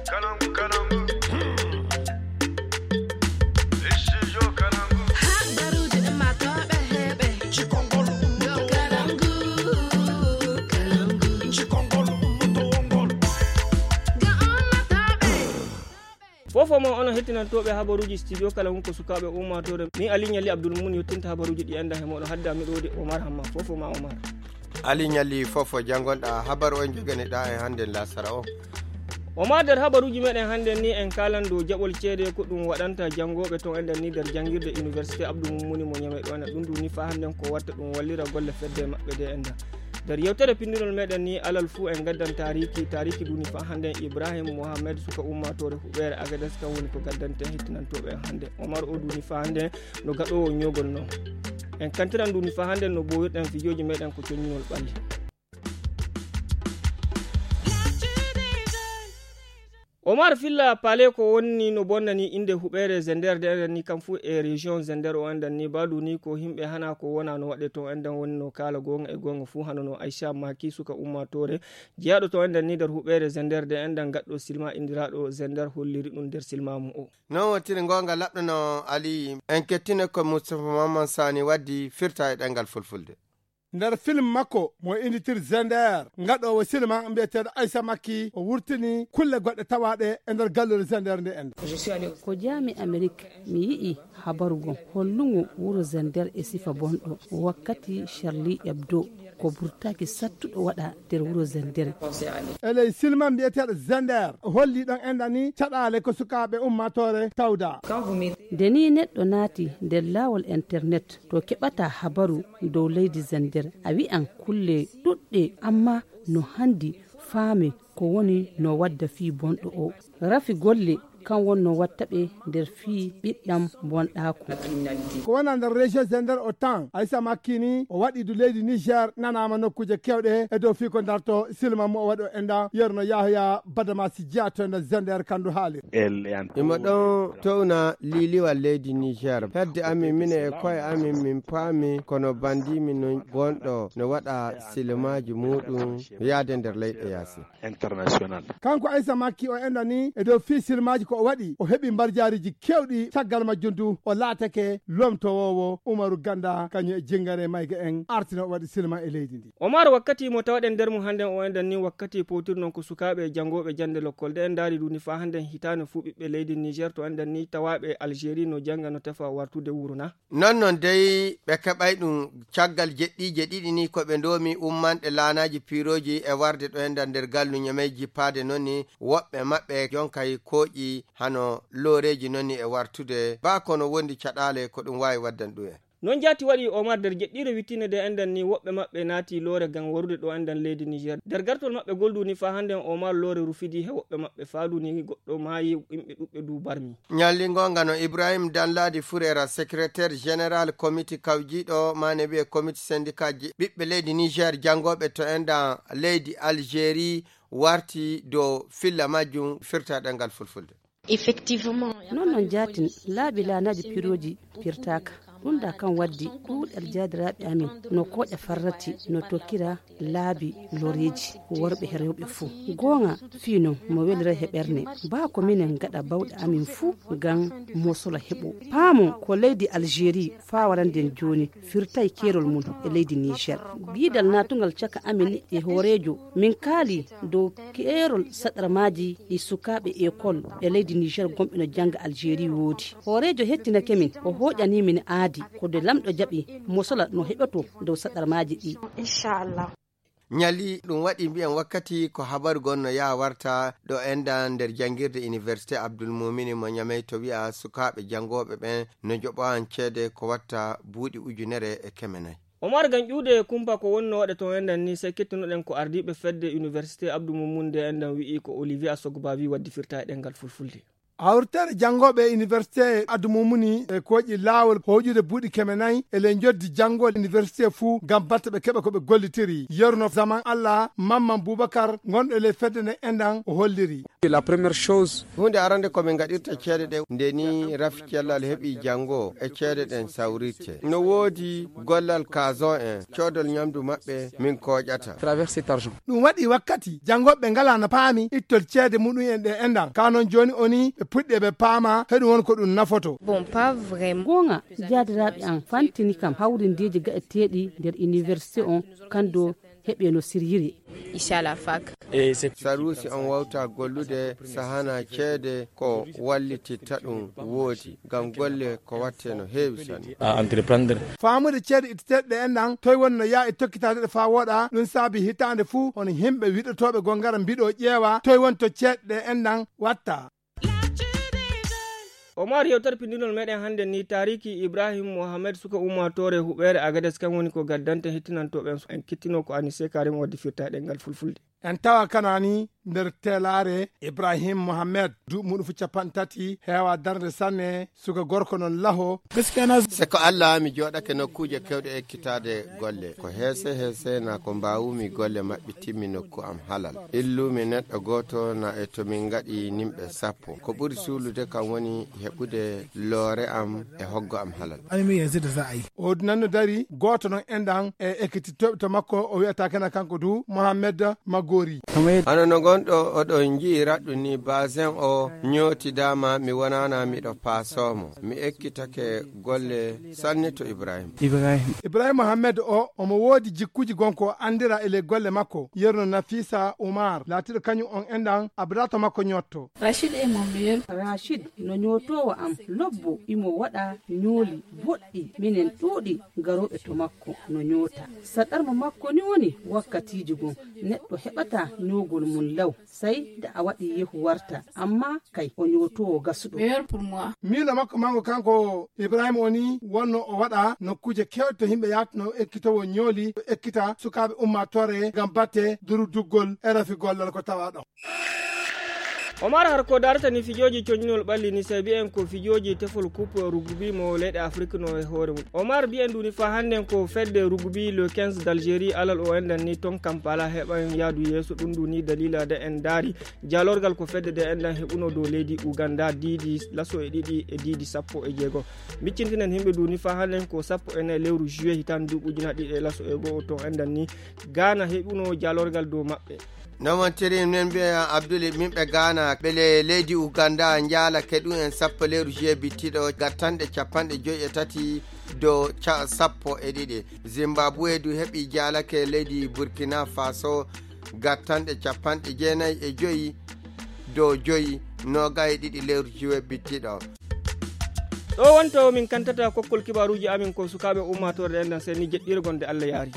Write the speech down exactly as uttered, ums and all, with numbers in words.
Habaruuji ɗin maa tooɓe heɓe. Cikongol ɗo Kalangu, Kalangu. Cikongol ɗo wongol. Ga ummatooɓe. Fofo mo onon hettinantooɓe habaruuji studio Kalangu ko sukaaɓe ummaatoore. Min Ali Ɲalli Abdul Mumin yottinta habaruuji ɗi enda he moɗo hadda miɗo wodi Omar Hamma. Fofo ma Omar. Ali Ɲalli, fofo janngonɗa habaru on joganiɗa e hannde lasara o. Omar, nder habaruuji meɗen hannde ni en kaalan dow jaɓol ceede ko ɗum waɗanta janngooɓe ton enden ni nder janngirde Université Abdou Moumouni mo Niamey ɗo enen ɗum duni faa hannden ko watta ɗum wallira golle fedde maɓɓe de enda. Nder yewtere pinndinol meɗen ni alal fuu en gaddan taariki, taariki duni faa hannden Ibrahim Mohamed suka ummaatoore huɓeere Agades kan woni ko gaddanten hettinantooɓe en hannde. Omar o duni faa hannden no gaɗoowo ñoogol non. En kantiran duni faa hannden no boowirɗen fijooji meɗen ko coññinol ɓalli. Omar Filla Pale ko woni no bonnani innde huɓeere Zender de enden ni kam fuu e région Zender o enden ni baadu ni ko yimɓe hana ko wona no waɗe ton enden woni no kaala goonga e goonga fuu hano no Aisha Maki suka ummaatoore jeyaaɗo ton enden ni nder huɓeere Zender de enden gaɗɗo silma inndiraaɗo Zender holliri ɗum nder silma mum o. Non wontiri goonga laɓɗo no Ali en kettine ko Moustapha Mamman Sani waddi firta e ɗemngal fulfulde. Nder film makko mo innitir Zender, ngaɗoowo silma mbiyeteeɗo Aissa Makki, o wurtini kulle goɗɗe tawaaɗe e nder galluure Zender nde ende. Ko jaami Amerik, mi yi'i habaru gom hollungo wuro Zender e sifa bonɗo, wakkati Charlie Hebdo ko burtaaki sattuɗo waɗa nder wuro Zender. E ley silma mbiyeteeɗo Zender, o holli ɗon enda ni caɗaale ko sukaaɓe ummaatoore tawda. Nde ni neɗɗo naati nder laawol internet, to keɓata habaru dow leydi Zender, a wi'an kulle ɗuɗɗe, amma no handi faame ko woni no wadda fii bonɗo o. Rafi golle kan wonno watta ɓe nder fii ɓiɗɗam bonɗaaku. Ko wona nder région Zender o tan, Aissa Makki ni o waɗi du leydi Niger nanaama nokkuuje kewɗe e dow fii ko darto silma mo o waɗi o enda yerno Yahya Badamasi Dia to nder Zender kandu haali. Imo ɗon towna liiliwal leydi Niger. Hedde amin, minen e koye amin, min paami kono bandiimi no gonɗo no waɗa silimaaji muuɗum yaade nder leyɗe yaasi. International. Kanko Aissa Makki o enda ni e dow fii silmaaji ko o waɗi, o heɓi mbarjaariji kewɗi, caggal majjum du o laatake lomtowoowo Umaru Ganda kañum e jingare mayga en artino o waɗi silma e leydi ndi. Omar, wakkati mo tawɗen nder mum hannden o enden ni wakkati powtir non ko sukaaɓe janngooɓe jannde lokkol de en ndaari du ni faa hannden hitaande fuu ɓiɓɓe leydi Niger to enden ni tawaaɓe Algérie no jannga no tefa wartude wuro na? Non non dey ɓe keɓay ɗum caggal jeɗɗiije ɗiɗi ni ko ɓe ndoomi ummanɗe laanaaji piirooji e warde ɗo enda nder gallu Ñamey jippaade non ni woɓɓe maɓɓe jonkay kooƴi hano looreeji non ni e wartude baa kono wondi caɗaale ko ɗum waawi waddan ɗum en. Non jaati waɗi Omar nder jeɗɗiire wittinde de enden ni woɓɓe maɓɓe naati loore ngam warude ɗo enden leydi Niger. Nder gartol maɓɓe gol du ni faa hannden Omar loore rufidi he woɓɓe maɓɓe faa du ni goɗɗo maayi yimɓe ɗuɓɓe du barmi. Ñalli ngonga no Ibrahim Danladi Furera, secrétaire général komiti kawjiiɗo maane wiye komiti sendikaaji ɓiɓɓe leydi Niger janngooɓe to enda leydi Algérie warti dow filla majjum firta ɗemngal fulfulde. Effectivement. Non non jaatin laabi laanaaji pirooji pirtaaka. Ɗum da kan waddi ɗuuɗal jaadiraaɓe amin no kooƴa farrati no tokkira laabi loreeji worɓe e rewɓe fuu. Goonga fii non mo welira he ɓerne baa ko minen gaɗa bawɗe amin fuu ngam mosola heɓo. Paamo ko leydi Algérie faa waranden jooni firtay keerol mum e leydi Niger. Giidal naatungal caka amin e hooreejo min kaali dow keerol saɗarmaaji ɗi sukaaɓe ekol e leydi Niger gonɓe no jannga Algérie woodi. Hooreejo hettinake min, o hooƴanii min aadi ko nde lamɗo jaɓi mosola no heɓoto dow saɗarmaaji ɗi. Inchallah. Ñalli ɗum waɗi mbiyen wakkati ko habaru gon no yaha warta ɗo enda nder janngirde Université Abdoul Moumini mo Ñamey to wi'a sukaaɓe janngooɓe ɓen no joɓowan ceede ko watta buuɗi ujunere e keme nayi. Omar, ngam ƴuude kumpa ko wonno waɗe ton enden ni, sey kettunoɗen ko ardiiɓe fedde Université Abdou Moumouni nde enden wi'i ko Olivier Asogbavi waddi firta e ɗemngal fulfulde. Hawritere janngooɓe e université e addu mumuni e kooƴi laawol hooƴude buuɗi keme nayi e ley njoddi janngol université fuu ngam batte ɓe keɓa ko ɓe gollitiri. Yeru no zaman Allah Mamman Bubakar ngonɗo e ley fedde nde enɗan o holliri. La première chose. Huunde arande ko min ngaɗirta ceede ɗe nde ni rafi cellal heɓi janngo e ceede ɗen sawrirte. No woodi gollal kazon en, coodol ñamdu maɓɓe min kooƴata. Traverse cet argent. Ɗum waɗi wakkati janngooɓe ngalaa no paami ittol ceede muɗum en ɗe enɗan. Kaa noon jooni oni ɓe puɗɗi eɓe paama heɗum won ko ɗum nafoto. Bon, pas vraiment. Goonga, jaadiraaɓe am fantini kam hawrindeeji gaɗeteeɗi nder université on, kanndo heɓe no siryiri. Inchallah fak. Saruusi on wawta gollude sahana ceede ko wallititta ɗum woodi, ngam golle ko watte no heewi sanne. A entreprendre. Faamude ceede itteteeɗe ɗe enɗan, toy woni no yaa e tokkitaade ɗe faa wooɗa, ɗum saabi hitaande fuu hono yimɓe wiɗotooɓe gongara mbiɗo ƴeewa, toy woni to ceede ɗe enɗan watta. Omar, yewtere pinndinol meɗen hannde ni, taariki Ibrahim Mohamed, suka ummaatoore huɓeere Agades, kan woni ko gaddante hittinantooɓe en. En kittino ko Anise Karim waddi firta e ɗemngal fulfulde. En tawa kanani nder teelaare Ibrahim Mohamed, duuɓi muɗum fu capanɗe tati, heewa darnde sanne, suka gorko non laho. Se ko Allah mi jooɗake nokkuuje kewɗe ekkitaade golle. Ko heese heese na ko mbaawumi golle maɓɓe timmi nokku am halal. Illumi neɗɗo gooto na e to min ngaɗi nimɓe sappo. Ko ɓuri suulude kam woni heɓude loore am e hoggo am halal. Ani mi yanzu da za a yi. O nan no dari gooto non enɗan e ekkitittooɓe to makko o wi'ata kana kanko du Mohamed Magori. Hano no ngonɗo oɗon nji'i raɗɗum ni, Bazen o ñootidaama, mi wonaana miɗo paasoo mo. Mi ekkitake golle sanne to Ibrahim. Ibrahim. Ibrahim Mohamed o, omo woodi jikkuuji gonko o anndira e ley golle makko. Yerno Nafisa Umar, laatiiɗo kañum on enɗan, abrato makko ñootto. Rachid est mon meilleur. Rachid no ñootoowo am, lobbo, imo waɗa ñooli boɗɗi. Minen ɗuuɗi garooɓe to makko no ñoota. Saɗarma makko ni woni wakkatiiji gon, neɗɗo heɓata ñoogol mum law, sey da a waɗi yehu warta, amma kay o ñootoowo gasuɗo. Meilleur pour moi. Miilo makko mango kanko Ibrahima o ni wonno o waɗa nokkuuje kewɗe to yimɓe yaata no ekkitowo ñooli, ekkita sukaaɓe ummaatoore ngam batte duruduggol e rafi gollal ko tawa ɗon. Omar, har ko darata ni fijooji coñinol ɓalli ni, sey mbiyen ko fijooji tefol coupe rugby mo leyɗe Afrik no e hoore mum. Omar, mbiyen ndu ni faa hannden ko fedde rugby le quinze d'Algérie alal o enɗan ni ton Kampala heɓan yaadu yeeso. Ɗum ndu ni daliila de en ndaari jaalorgal ko fedde de enɗan heɓuno dow leydi Uganda diidi laso e ɗiɗi e diidi sappo e jeego. Miccintinen yimɓe ndu ni faa hannden ko sappo e nayi lewru juillet hitaande duuɓi ujunaaji ɗiɗi e laso e go'o ton enɗan ni Ghana heɓuno jaalorgal dow maɓɓe. No wontiri min mbiya Abdul, min ɓe Ghana, ɓe le-, leydi Uganda njaalake ɗum en sappo lewru juillet bittiɗo, gattanɗe capanɗe joyi e tati dow ca-, sappo e ɗiɗi. Zimbabwe du heɓi jaalake leydi Burkina Faso, gattanɗe capanɗe jeenayi e joyi dow joyi, noogay e ɗiɗi lewru juillet bittiɗo. Ɗo wonto min kantata kokkol kibaaruuji amin ko sukaaɓe ummaatoore ɗen ɗan seni jeɗɗirgol nde Allah yaari.